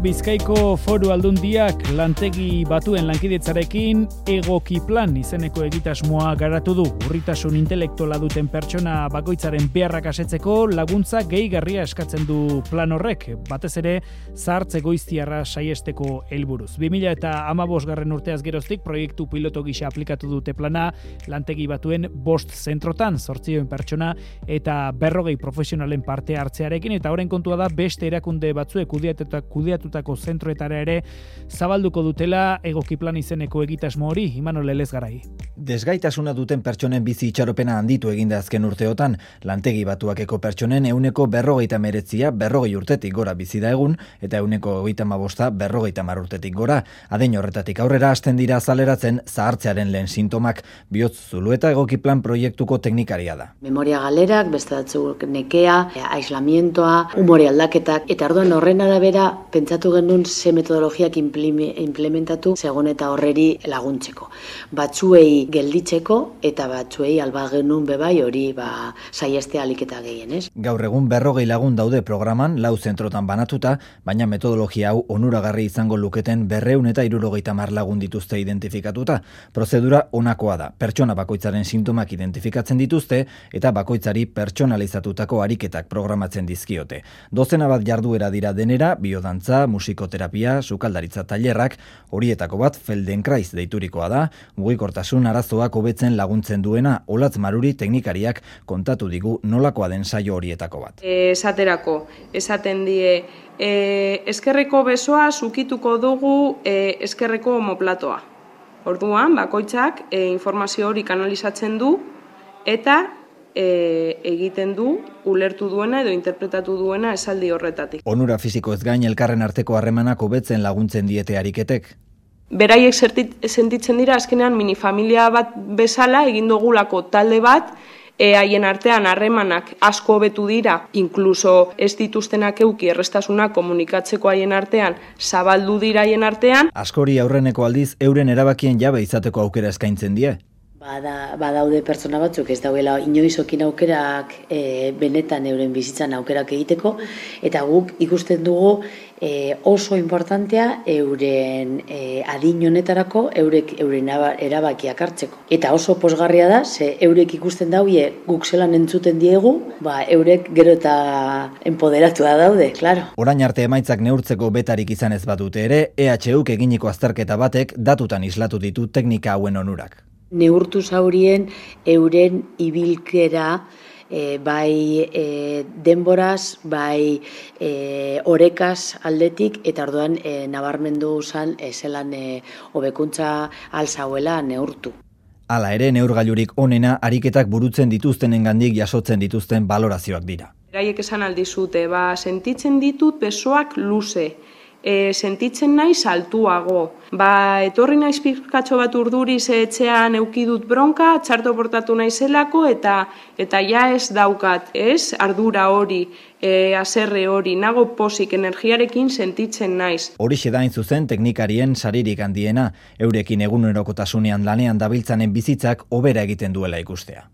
Bizkaiko Foru Aldundiak lantegi batuen lankidetzarekin Egokiplan izeneko egitasmoa garatu du. Urritasun intelektuala duten pertsona bakoitzaren beharrak asetzeko laguntza gehigarria eskatzen du plan horrek, batez ere zahartze goiztiarra saiesteko helburuz. 2015 urteaz geroztik proiektu piloto gisa aplikatu dute plana lantegi batuen 5 zentrotan, 800 pertsona eta 40 profesionalen parte hartzearekin, eta horren kontua da beste erakunde batzuek kudeatutako zentroetara ere zabalduko dutela Egokiplan izeneko egitasmo hori. Imanol Elezgarai. Desgaitasuna duten pertsonen bizi itxaropena handitu eginda azken urteotan. Lantegi batuakeko pertsonen 49%, 40 urtetik gora bizi da egun, eta 35% 50 urtetik gora. Adin horretatik aurrera hasten dira azaleratzen zahartzearen lehen sintomak. Bihotz Zulueta Egokiplan proiektuko teknikaria da. Memoria galerak, beste batzuk nekea, aislamientoa, umore aldaketak, eta orduan horren arabera pentsatu genuen ze metodologiak implementatu segun eta horreri laguntzeko. Batzuei gelditzeko eta batzuei alba genuen bebai hori saieste aliketa gehien, ez? Gaur egun 40 lagun daude programan, 4 zentrotan banatuta, baina metodologia hau onuragarri izango luketen 270 lagun dituzte identifikatuta. Prozedura honakoa da. Pertsona bakoitzaren sintomak identifikatzen dituzte eta bakoitzari pertsonalizatutako ariketak programatzen dizkiote. Dozena bat jarduera dira denera, biodantza, musikoterapia, sukaldaritza tailerrak, horietako bat Feldenkrais deiturikoa da, mugikortasun arazoak hobetzen laguntzen duena. Olatz Maruri teknikariak kontatu digu nolakoa den saio horietako bat. Esaten die, eskerreko besoa zukituko dugu eskerreko omoplatoa. Orduan, bakoitzak informazio hori kanalizatzen du eta egiten du, ulertu duena edo interpretatu duena esaldi horretatik. Onura fisiko ez gain elkarren arteko harremanak hobetzen laguntzen diete ariketek. Beraiek sentitzen dira azkenean minifamilia bat bezala egin dugulako talde bat, haien artean harremanak asko hobetu dira, inkluso ez dituztenak euki errestasunak komunikatzeko haien artean, zabaldu dira haien artean. Askori aurreneko aldiz euren erabakien jabe izateko aukera eskaintzen die. Badaude pertsona batzuk ez dauela inoizokin aukerak benetan euren bizitzan aukerak egiteko, eta guk ikusten dugu oso importantea euren adin honetarako euren erabakiak hartzeko. Eta oso posgarria da, ze eurek ikusten daue guk zelan entzuten diegu, eurek gero eta empoderatua daude, klaro. Orain arte emaitzak neurtzeko betarik izan ez badute ere, EHUk eginiko azterketa batek datutan islatu ditu teknika hauen onurak. Neurtu zaurien euren ibilkera, bai denboraz, bai orekaz aldetik, eta orduan nabarmendu zan zelan hobekuntza alzauela neurtu. Hala ere, neurgailurik onena ariketak burutzen dituztenengandik jasotzen dituzten balorazioak dira. Beraiek esan aldizute, sentitzen ditut besoak luze, sentitzen naiz altuago. Etorri naiz pizkatxo bat urduriz etxean eukidut bronka, txarto portatu naizelako eta ja ez daukat, ez? Ardura hori, haserre hori, nago pozik energiarekin sentitzen naiz. Horixe da hain zuzen teknikarien saririk handiena, eurekin egunerokotasunean lanean dabiltzanen bizitzak hobera egiten duela ikustea.